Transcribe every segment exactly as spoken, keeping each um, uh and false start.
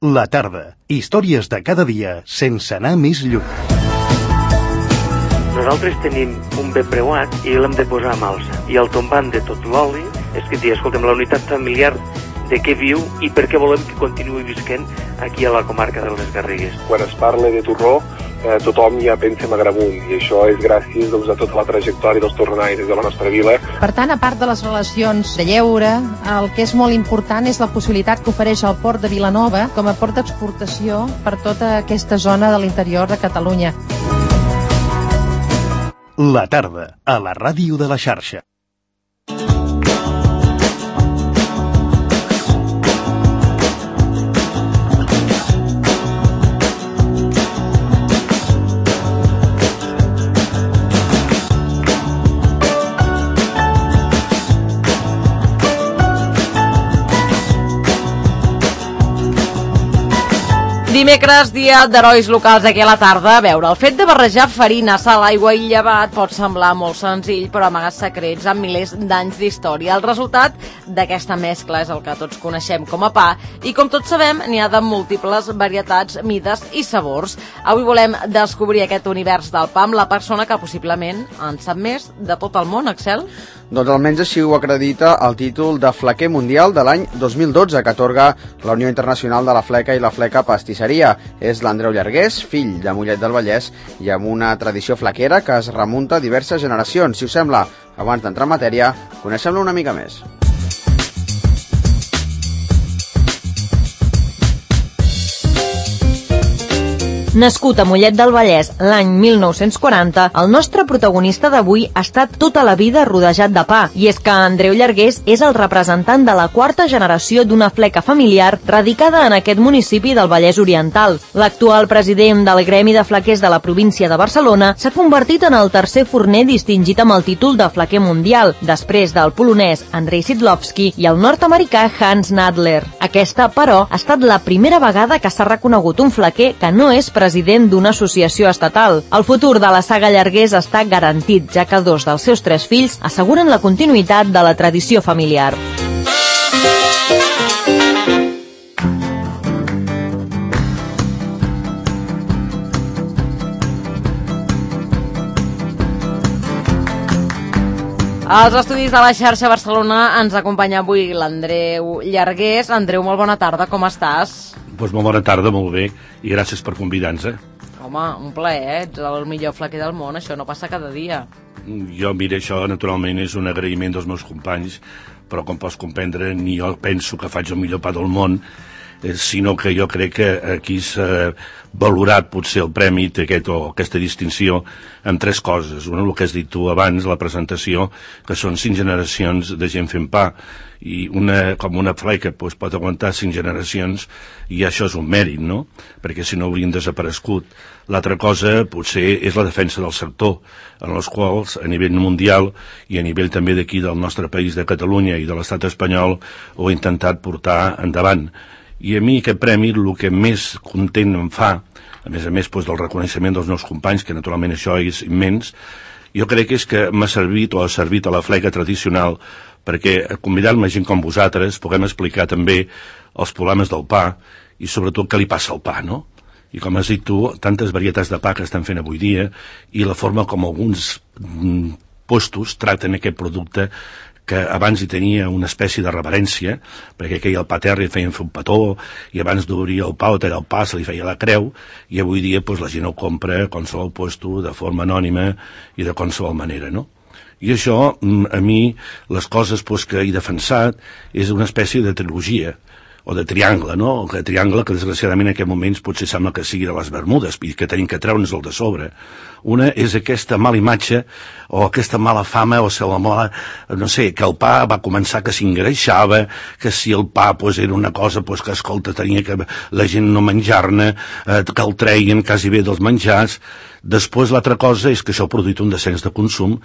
La tarda. Històries de cada dia sense anar més lluny. Nosaltres tenim un bé preuat i l'hem de posar a malsa. I al tombant de tot l'oli és que diu, escolta'm, la unitat familiar de què viu i per què volem que continuï visquent aquí a la comarca de les Garrigues. Quan es parla de torró, eh, tothom ja pensa en Agramunt, i això és gràcies doncs, a tota la trajectòria dels torronaires de la nostra vila. Per tant, a part de les relacions de lleure, el que és molt important és la possibilitat que ofereix el port de Vilanova com a port d'exportació per tota aquesta zona de l'interior de Catalunya. La tarda, a la ràdio de la xarxa. Dimecres, dia d'herois locals aquí a la tarda. A veure, el fet de barrejar farina, sal, aigua i llevat pot semblar molt senzill, però amaga secrets amb milers d'anys d'història. El resultat d'aquesta mescla és el que tots coneixem com a pa, i com tots sabem, n'hi ha de múltiples varietats, mides i sabors. Avui volem descobrir aquest univers del pa amb la persona que possiblement en sap més de tot el món, Axel. Doncs almenys així ho acredita el títol de flequer mundial de l'any dos mil dotze que atorga la Unió Internacional de la Fleca i la Fleca Pastisseria. És l'Andreu Llargués, fill de Mollet del Vallès i amb una tradició flequera que es remunta a diverses generacions. Si us sembla, abans d'entrar en matèria, coneixem-lo una mica més. Nascut a Mollet del Vallès l'any mil nou-cents quaranta, el nostre protagonista d'avui ha estat tota la vida rodejat de pa. I és que Andreu Llargués és el representant de la quarta generació d'una fleca familiar radicada en aquest municipi del Vallès Oriental. L'actual president del Gremi de Flequers de la província de Barcelona s'ha convertit en el tercer forner distingit amb el títol de flequer mundial, després del polonès Andrei Sidlowski i el nord-americà Hans Nadler. Aquesta, però, ha estat la primera vegada que s'ha reconegut un flequer que no és president president d'una associació estatal. El futur de la saga Llargués està garantit, ja que dos dels seus tres fills asseguren la continuïtat de la tradició familiar. Als estudis de la xarxa Barcelona ens acompanya avui l'Andreu Llargués. Andreu, molt bona tarda, com estàs? Doncs molt bona tarda, molt bé, i gràcies per convidar-nos. Eh? Home, un plaer, eh? Ets el millor flequer del món, això no passa cada dia. Jo, mira, això naturalment és un agraïment dels meus companys, però com pots comprendre, ni jo penso que faig el millor pa del món, sinó que jo crec que aquí s'ha valorat potser el premi aquest, o aquesta distinció amb tres coses. Una, el que has dit tu abans, la presentació, que són cinc generacions de gent fent pa, i una, com una fleca doncs, pot aguantar cinc generacions, i això és un mèrit, no? Perquè si no haurien desaparegut. L'altra cosa potser és la defensa del sector, en els quals a nivell mundial i a nivell també d'aquí del nostre país de Catalunya i de l'estat espanyol ho he intentat portar endavant. I a mi aquest premi el que més content em fa, a més a més doncs, del reconeixement dels meus companys, que naturalment això és immens, jo crec que és que m'ha servit o ha servit a la fleca tradicional perquè convidant-me gent com vosaltres puguem explicar també els problemes del pa i sobretot què li passa al pa, no? I com has dit tu, tantes varietats de pa que estan fent avui dia i la forma com alguns puestos traten aquest producte que abans hi tenia una espècie de reverència, perquè aquell el pa terra feien fer un petó, i abans d'obrir el pa o tallar el pa se li feia la creu, i avui dia pues, la gent ho compra a qualsevol puesto de forma anònima i de qualsevol manera, no? I això, a mi, les coses pues, que he defensat és una espècie de trilogia, o de triangle, no? El triangle que desgraciadament en aquests moments potser sembla que sigui de les Bermudes i que tenim que treure'ns el de sobre. Una és aquesta mala imatge o aquesta mala fama o la mala, no sé, que el pa va començar que s'engreixava, que si el pa pues, era una cosa pues, que, escolta, tenia que la gent no menjar-ne, eh, que el treien quasi bé dels menjars. Després l'altra cosa és que això ha produït un descens de consum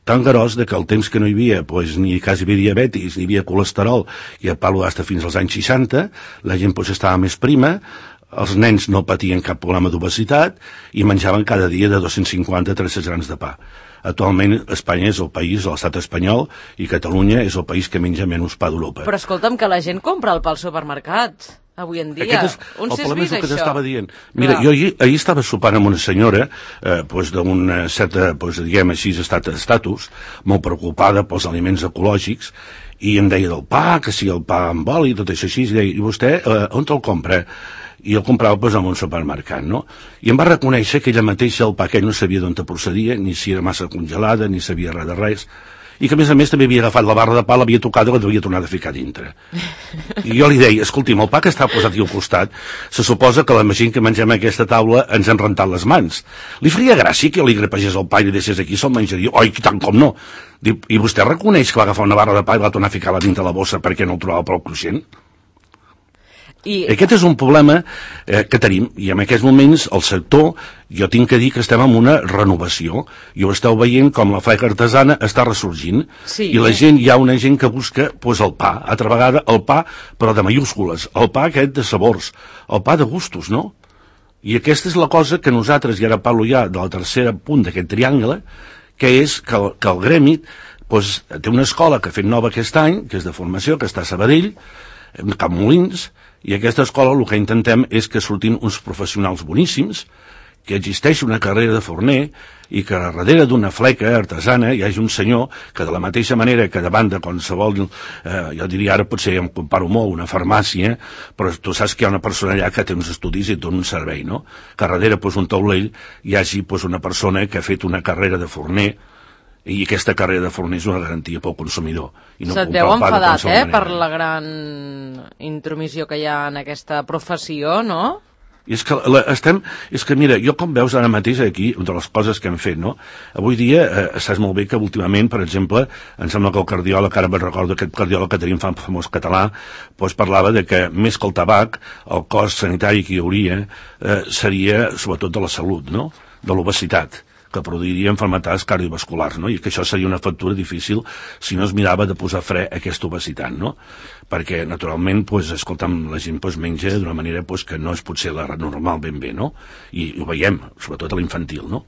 tan gros de que el temps que no hi havia pues, ni quasi bé diabetis, ni hi havia colesterol, i a palo hasta fins als anys seixanta, la gent pues, estava més prima, els nens no patien cap problema d'obesitat i menjaven cada dia de dos-cents cinquanta a tres-cents grams de pa. Actualment Espanya és el país, l'estat espanyol, i Catalunya és el país que menja menys pa d'Europa. Però escolta'm, que la gent compra el pa al supermercat. avui en dia. Aquest és, On el s'és problema és vist el que això? t'estava dient. Mira, Clar. jo ahir, ahir estava sopant amb una senyora eh, pues, d'una certa, pues, diguem així, estat estatus, molt preocupada pels aliments ecològics, i em deia del pa, que si el pa amb oli, tot això així, i deia, i vostè eh, on te'l compra? I el comprava pues, en un supermercat, no? I em va reconèixer que ella mateixa el pa aquell no sabia d'on te procedia, ni si era massa congelada, ni sabia res de res, i que a més a més també havia agafat la barra de pa, l'havia tocat i l'havia tornat a ficar dintre. I jo li deia, escolti'm, el pa que està posat aquí al costat, se suposa que la gent que mengem a aquesta taula ens han rentat les mans. Li faria gràcia que li grapegés el pa i li deixés aquí, se'l menjaria. Oi, tant com no. Diu, i vostè reconeix que va agafar una barra de pa i va tornar a ficar-la dintre la bossa perquè no el trobava prou cruixent? I... Aquest és un problema eh, que tenim, i en aquests moments el sector, jo tinc que dir que estem en una renovació, i ho esteu veient com la fleca artesana està ressorgint, sí, i la gent, hi ha una gent que busca pues, el pa, altra vegada el pa, però de mayúscules, el pa aquest de sabors, el pa de gustos, no? I aquesta és la cosa que nosaltres, i ara parlo ja de la tercera punt d'aquest triangle, que és que el, que el gremi pues, té una escola que ha fet nova aquest any, que és de formació, que està a Sabadell, a Cap Molins, i aquesta escola el que intentem és que surtin uns professionals boníssims, que existeix una carrera de forner i que darrere d'una fleca artesana hi hagi un senyor que de la mateixa manera que davant de qualsevol, eh, jo diria ara potser em comparo molt, una farmàcia, però tu saps que hi ha una persona allà que té uns estudis i et dona un servei, no? Que darrere pues, un taulell hi hagi pues, una persona que ha fet una carrera de forner i aquesta carrera de forner és una garantia pel consumidor. I no Se't veu enfadat, eh, per la gran intromissió que hi ha en aquesta professió, no? I és que la, estem, és que mira, jo com veus ara mateix aquí, una de les coses que hem fet, no? Avui dia, eh, saps molt bé que últimament, per exemple, em sembla que el cardiòleg, ara me'n recordo aquest cardiòleg que tenim famós català, doncs parlava de que més que el tabac, el cost sanitari que hi hauria eh, seria sobretot de la salut, no? De l'obesitat, que produiria malalties cardiovasculars, no? I que això seria una factura difícil si no es mirava de posar fre a aquesta obesitat, no? Perquè, naturalment, pues, escolta'm, la gent pues, menja d'una manera pues, que no és potser la normal ben bé, no? I ho veiem, sobretot a l'infantil, no?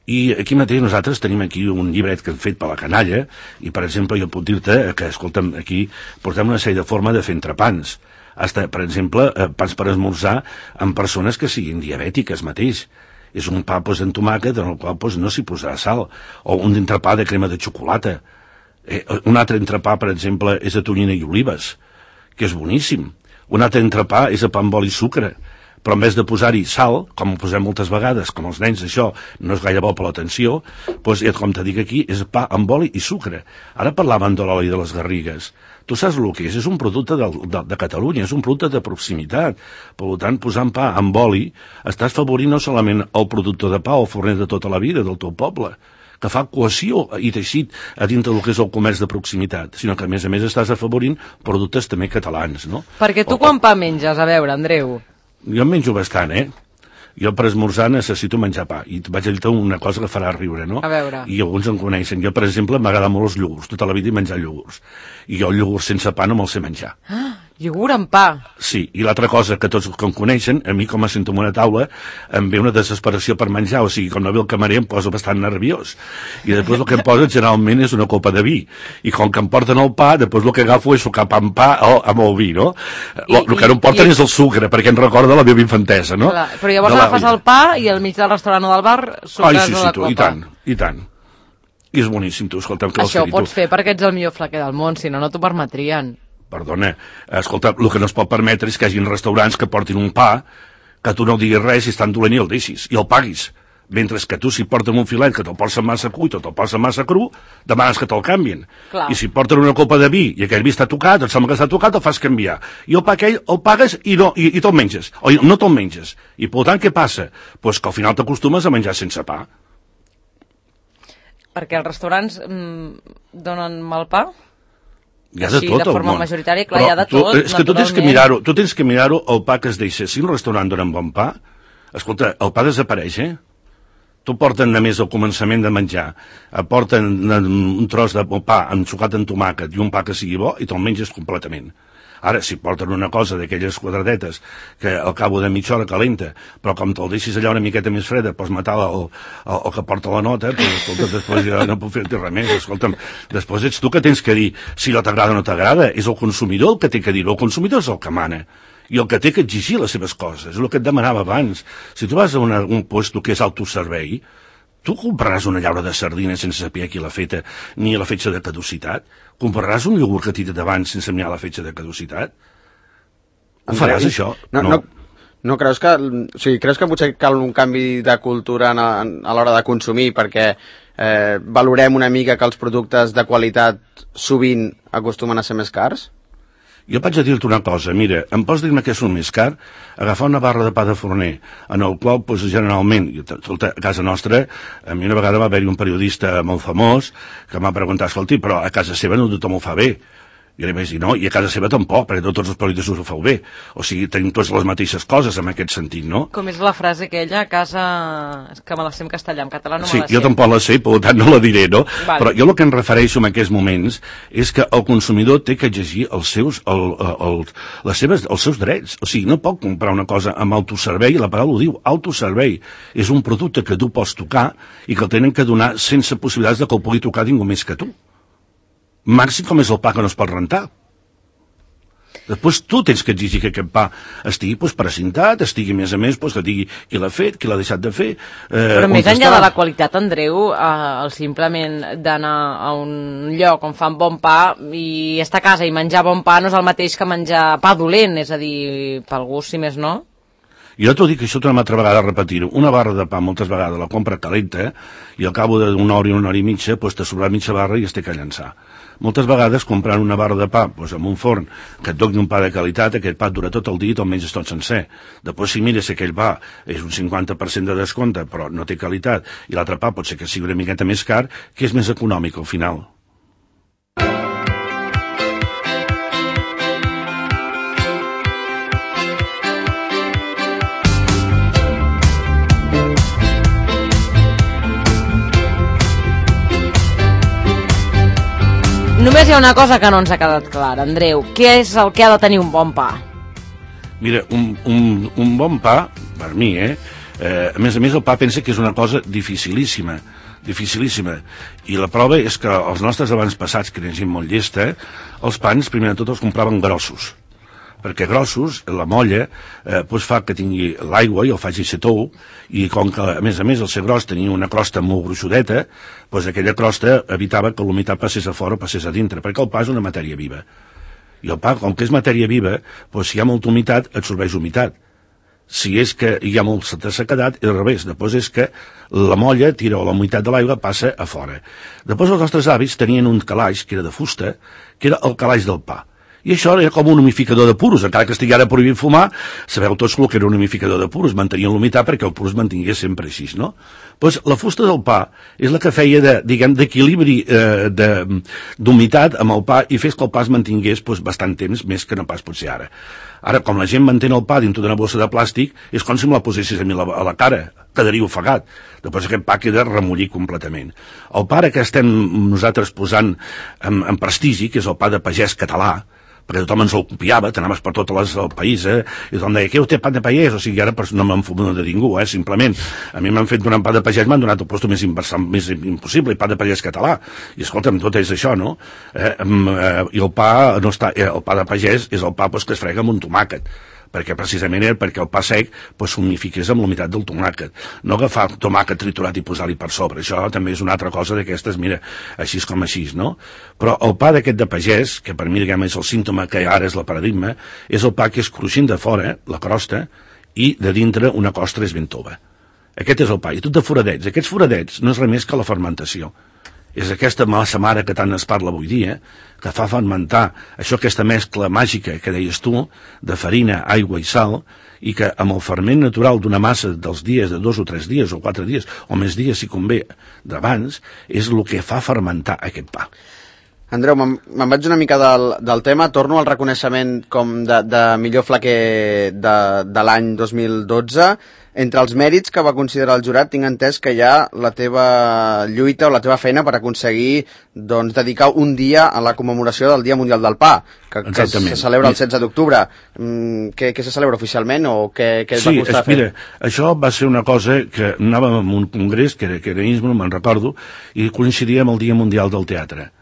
I aquí mateix nosaltres tenim aquí un llibret que hem fet per la canalla, i, per exemple, jo puc dir-te que, escolta'm, aquí portem una sèrie de forma de fer entrepans. Hasta, per exemple, pans per esmorzar amb persones que siguin diabètiques mateix. És un pa pues, en tomàquet en el qual pues, no s'hi posarà sal, o un entrepà de crema de xocolata. Eh, un altre entrepà, per exemple, és de tonyina i olives, que és boníssim. Un altre entrepà és de pa amb oli i sucre, però en vez de posar-hi sal, com ho posem moltes vegades, com els nens això no és gaire bo per l'atenció, doncs, com te dic aquí, és pa amb oli i sucre. Ara parlaven de l'oli de les Garrigues. Tu saps el que és? És un producte de, de, de Catalunya, és un producte de proximitat. Per tant, posant pa amb oli, estàs favorint no solament el productor de pa o el forner de tota la vida del teu poble, que fa cohesió i teixit a dintre del que és el comerç de proximitat, sinó que a més a més estàs afavorint productes també catalans, no? Perquè tu o, quan pa menges? A veure, Andreu. Jo en menjo bastant, eh? Jo per esmorzar necessito menjar pa, i vaig a dir-te una cosa que farà riure, no? A veure. I alguns em coneixen. Jo, per exemple, m'agrada molt els iogurts, tota la vida he menjat iogurts. I jo el iogurt sense pa no me'l sé menjar. Ah, iogurt amb pa. Sí, i l'altra cosa que tots que em coneixen, a mi com a sento en una taula, em ve una desesperació per menjar, o sigui, com no ve el camarer em poso bastant nerviós. I després el que em posa generalment és una copa de vi. I com que em porten el pa, després el que agafo és sucar pa amb pa o, amb el vi, no? I, el que no em porten i, és el sucre, perquè em recorda la meva infantesa, no? Clar, però llavors agafes el pa i al mig del restaurant o del bar sucres Ai, sí, sí, la tu, copa. I tant, i tant. I és boníssim, tu, escolta'm, que això ho pots fer perquè ets el millor flaquer del món, si no, no t'ho permetrien. Perdona, escolta, el que no es pot permetre és que hi hagi restaurants que portin un pa, que tu no diguis res i és tan dolent i el deixis, i el paguis. Mentre que tu, si porten un filet que te'l posen massa cuit o te'l posen massa cru, demanes que te'l canvien. Clar. I si porten una copa de vi i aquell vi està tocat, et sembla que està tocat, el fas canviar. I el pa aquell el pagues i, no, i, i te'l menges. O no te'l menges. I per tant, què passa? Pues que al final t'acostumes a menjar sense pa. Perquè els restaurants mm, donen mal pa? Hi ha de Així, tot de forma el món. majoritària, clar, però hi ha de tu, tot, és que tu tens que mirar-ho, tu tens que mirar-ho el pa que es deixa. Si un restaurant dona bon pa, escolta, el pa desapareix, eh? Tu porten només al començament de menjar, porten un tros de pa ensucat en tomàquet i un pa que sigui bo i te'l menges completament. Ara, si porten una cosa d'aquelles quadradetes que al cabo de mitja hora calenta, però com te'l deixis allà una miqueta més freda, pots matar el, el, el que porta la nota, però escolta, després ja no puc fer-te res més. Escolta'm, després ets tu que tens que dir si no t'agrada o no t'agrada. És el consumidor el que té que dir-ho. El consumidor és el que mana. i el que té que exigir les seves coses, és el que et demanava abans. Si tu vas a una, un puesto que és autoservei, tu compraràs una llaura de sardina sense saber qui l'ha feta ni la fetge de caducitat? Compraràs un iogurt que t'hi d'abans sense mirar la fetge de caducitat? Ho faràs, això? No, no. No creus que, o sigui, creus que potser cal un canvi de cultura a, a l'hora de consumir perquè eh, valorem una mica que els productes de qualitat sovint acostumen a ser més cars? Jo vaig a dir-te una cosa, mira, em pots dir-me què és un més car? Agafar una barra de pa de forner, en el qual, doncs, generalment, a casa nostra, a mi una vegada va haver-hi un periodista molt famós que m'ha preguntat, escolti, però a casa seva no tothom ho fa bé. Jo li vaig dir, no, i a casa seva tampoc, perquè no tots els periodistes ho feu bé. O sigui, tenim tots les mateixes coses en aquest sentit, no? Com és la frase aquella, a casa... És que me la sé en castellà, en català no sí, me la sé. Jo tampoc la sé, per tant no la diré, no? Vale. Però jo el que em refereixo en aquests moments és que el consumidor té que exigir els seus, el, el, les seves, els seus drets. O sigui, no pot comprar una cosa amb autoservei, la paraula ho diu, autoservei. És un producte que tu pots tocar i que el tenen que donar sense possibilitats de que el pugui tocar ningú més que tu. Màxim com és el pa que no es pot rentar. Després tu tens que exigir que aquest pa estigui pues, precintat, estigui a més a més pues, que digui qui l'ha fet, qui l'ha deixat de fer. Eh, Però més enllà de la qualitat, Andreu, eh, el simplement d'anar a un lloc on fan bon pa i estar a casa i menjar bon pa no és el mateix que menjar pa dolent, és a dir, pel gust, si més no. Jo t'ho dic, això tornem altra vegada a repetir-ho. Una barra de pa moltes vegades la compra calenta i al cabo d'una hora i una hora i mitja pues, t'ha sobrat mitja barra i es té que llançar. Moltes vegades comprant una barra de pa doncs, amb un forn que et doni un pa de qualitat, aquest pa dura tot el dia i te'l menges tot sencer. Després si mires si aquell pa és un cinquanta per cent de descompte però no té qualitat i l'altre pa pot ser que sigui una miqueta més car, que és més econòmic al final. Només hi ha una cosa que no ens ha quedat clara, Andreu. Què és el que ha de tenir un bon pa? Mira, un, un, un bon pa, per mi, eh? eh? A més a més, el pa pensa que és una cosa dificilíssima, dificilíssima. I la prova és que els nostres avantpassats, que eren gent molt llesta, els pans, primer de tot, els compraven grossos. Perquè grossos, la molla, eh, doncs fa que tingui l'aigua i el faci ser tou, i com que, a més a més, el ser gros tenia una crosta molt gruixudeta, doncs aquella crosta evitava que l'humitat passés a fora o passés a dintre, perquè el pa és una matèria viva. I el pa, com que és matèria viva, doncs si hi ha molta humitat, absorbeix humitat. Si és que hi ha molta sequedat, és al revés. Després és que la molla tira o la humitat de l'aigua passa a fora. Després els nostres avis tenien un calaix, que era de fusta, que era el calaix del pa. I això era com un humificador de puros, encara que estigui ara prohibit fumar, sabeu tots el que era un humificador de puros, mantenien l'humitat perquè el purus mantingués sempre així, no? Doncs la fusta del pa és la que feia de, diguem, d'equilibri eh, d'humitat amb el pa i fes que el pa es mantingués doncs, bastant temps, més que no pas potser ara. Ara, com la gent mantén el pa dintre d'una bossa de plàstic, és com si me la posessis a mi a la, a la cara, quedaria ofegat. Després aquest pa queda remollit completament. El pa que estem nosaltres posant en, en prestigi, que és el pa de pagès català, perquè tothom ens el copiava, t'anaves per tot les, el país, eh? I tothom deia, què té pa de pagès? O sigui, ara no m'han fumut de ningú, eh? Simplement. A mi m'han fet donar pa de pagès, m'han donat el posto més, més impossible, pa de pagès català. I escolta'm, tot és això, no? Eh, eh, I el pa, no està, eh, el pa de pagès és el pa pues, que es frega amb un tomàquet, perquè precisament era perquè el pa sec pues, s'humifiqués amb la humitat del tomàquet. No agafar tomàquet triturat i posar-li per sobre. Això també és una altra cosa d'aquestes, mira, així com així, no? Però el pa d'aquest de pagès, que per mi diguem, és el símptoma que ara és el paradigma, és el pa que és cruixent de fora, la crosta, i de dintre una costra és ben tova. Aquest és el pa, i tot de foradets. Aquests foradets no és res més que la fermentació. És aquesta massa mare que tant es parla avui dia, que fa fermentar això, aquesta mescla màgica que deies tu, de farina, aigua i sal, i que amb el ferment natural d'una massa dels dies, de dos o tres dies o quatre dies, o més dies si convé d'abans, és el que fa fermentar aquest pa. Andreu, me'n me vaig una mica del, del tema, torno al reconeixement com de, de millor flaquer de, de l'any dos mil dotze. Entre els mèrits que va considerar el jurat, tinc entès que hi ha la teva lluita o la teva feina per aconseguir doncs, dedicar un dia a la commemoració del Dia Mundial del Pa, que, que se celebra el setze d'octubre. Mm, què, què se celebra oficialment o què, què sí, va costar fer? Sí, mira, això va ser una cosa que anàvem a un congrés, que era, que era Innsbruck, me'n recordo, i coincidia amb el Dia Mundial del Teatre.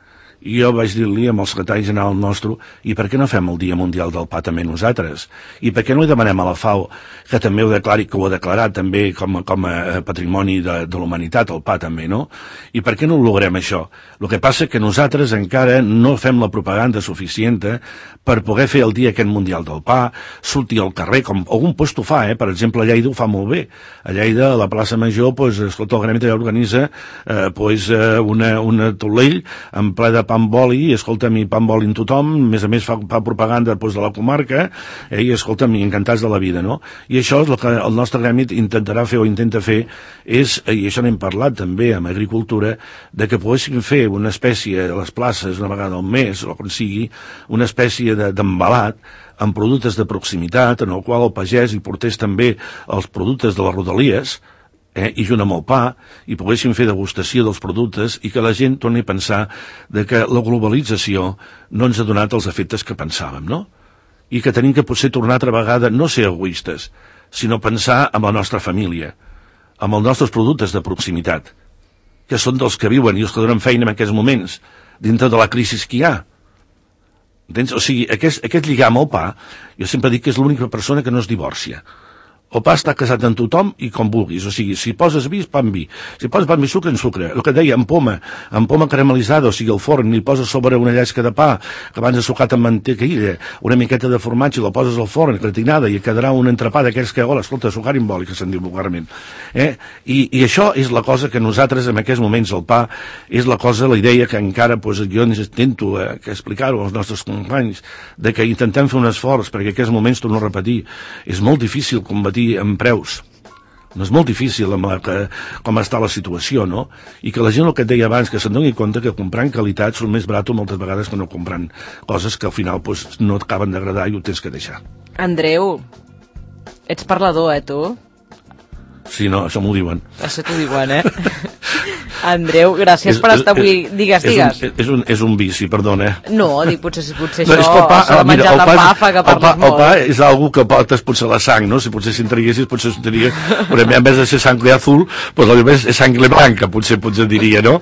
i jo vaig dir-li amb el secretari general nostre, i per què no fem el Dia Mundial del Pa també nosaltres? I per què no li demanem a la FAO que també ho declari, que ho ha declarat també com, com a patrimoni de, de la humanitat, el pa també, no? I per què no ho logrem això? El que passa que nosaltres encara no fem la propaganda suficient per poder fer el dia aquest mundial del pa, sortir al carrer, com algun lloc ho fa, eh? Per exemple, a Lleida ho fa molt bé. A Lleida, a la plaça Major, pues, escolta, el Gremi també organitza eh, pues, una, una tolell en ple de pa amb oli, i escolta'm, i pa amb oli en tothom, a més a més fa, fa propaganda pues, de la comarca, eh, i escolta'm, i encantats de la vida, no? I això és el que el nostre gremi intentarà fer o intenta fer, és, i això n'hem parlat també amb agricultura, de que poguéssim fer una espècie a les places una vegada al mes, o com sigui, una espècie d'embalat amb productes de proximitat, en el qual el pagès hi portés també els productes de les rodalies, eh, i junt amb el pa, i poguéssim fer degustació dels productes, i que la gent torni a pensar de que la globalització no ens ha donat els efectes que pensàvem, no? I que tenim que potser tornar altra vegada no ser egoistes, sinó pensar en la nostra família, amb els nostres productes de proximitat, que són dels que viuen i els que donen feina en aquests moments, dintre de la crisi que hi ha. Entens? O sigui, aquest, aquest lligam al pa, jo sempre dic que és l'única persona que no es divorcia. El pa està casat amb tothom i com vulguis, o sigui, si poses vi, pa amb vi, si poses pa amb vi, sucre, en sucre. El que deia, en poma, en poma caramelitzada, o sigui, al forn, li poses sobre una llesca de pa, que abans ha sucat amb mantequilla, una miqueta de formatge, i la poses al forn, gratinada, i quedarà un entrepà d'aquells que, hola, escolta, sucar imbòlic, que se'n diu vulgarment. Eh? I, I això és la cosa que nosaltres, en aquests moments, el pa, és la cosa, la idea que encara, pues, jo intento eh, explicar-ho als nostres companys, de que intentem fer un esforç, perquè en aquests moments, torno a repetir, és molt difícil combatir en preus. No és molt difícil amb la, que, com està la situació, no? I que la gent, el que et deia abans, que se'n doni compte que comprant qualitat són més barat moltes vegades que no comprant coses que al final pues, no t'acaben d'agradar i ho tens que deixar. Andreu, ets parlador, eh, tu? Sí, no, això m'ho diuen. Això t'ho diuen, eh? Andreu, gràcies és, per estar avui... És, digues, és digues. Un, és, un, és un vici, perdona. No, dic, potser, potser no, això, el pa, això de menjar de pa fa que parles el pa, molt. El pa és algo que portes potser la sang, no? Si potser si entreguessis, potser s'entenia... Però en vez de ser sangre azul, pues al revés és sangre blanca, potser, potser diria, no?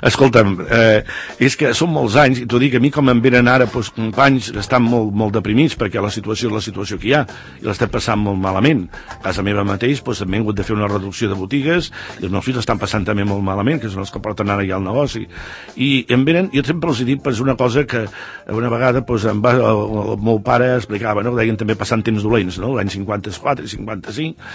Escolta'm, eh, és que són molts anys, i t'ho dic, a mi com em venen ara pues, companys que estan molt, molt deprimits perquè la situació és la situació que hi ha, i l'estem passant molt malament. A casa meva mateix pues, hem hagut de fer una reducció de botigues, i els meus fills estan passant també molt malament, que són els que porten ara ja el negoci. I em venen, jo sempre els he dit, pues, una cosa que una vegada pues, em va, el, el meu pare explicava, no? Deien també passant temps dolents, no? L'any cinquanta-quatre i cinquanta-cinc,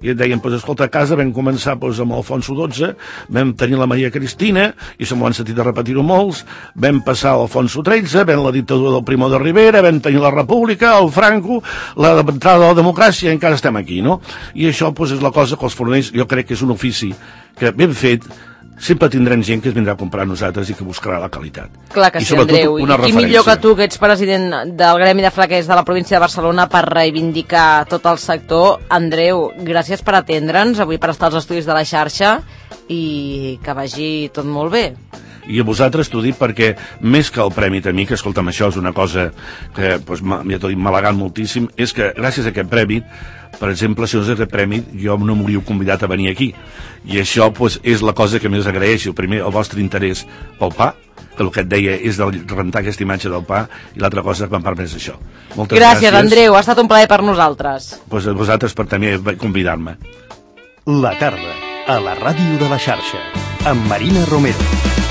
i et deien, pues, escolta, a casa vam començar pues, amb Alfonso dotze, vam tenir la Maria Cristina, i se m'ho han sentit de repetir-ho molts, vam passar a Alfonso tretze, vam la dictadura del Primo de Rivera, vam tenir la República, el Franco, l'entrada de la democràcia, i encara estem aquí, no? I això pues, és la cosa que els forners, jo crec que és un ofici que ben fet sempre tindrem gent que es vindrà a comprar a nosaltres i que buscarà la qualitat. Clar que sí, Andreu. I qui millor que tu, que ets president del Gremi de Flaquers de la província de Barcelona, per reivindicar tot el sector. Andreu, gràcies per atendre'ns, avui per estar als estudis de la xarxa, i que vagi tot molt bé. I a vosaltres t'ho dic perquè, més que el premi a mi, que escolta'm, això és una cosa que pues, ja t'ho dic, m'ha halagat moltíssim, és que gràcies a aquest premi, per exemple, si no és aquest premi, jo no m'hauríeu convidat a venir aquí. I això pues, és la cosa que més agraeixo. Primer, el vostre interès pel pa, que el que et deia és de rentar aquesta imatge del pa, i l'altra cosa que em permet això. Moltes gràcies. Gràcies, Andreu, ha estat un plaer per nosaltres. Pues a vosaltres per també convidar-me. La tarda, a la ràdio de la xarxa, amb Marina Romero.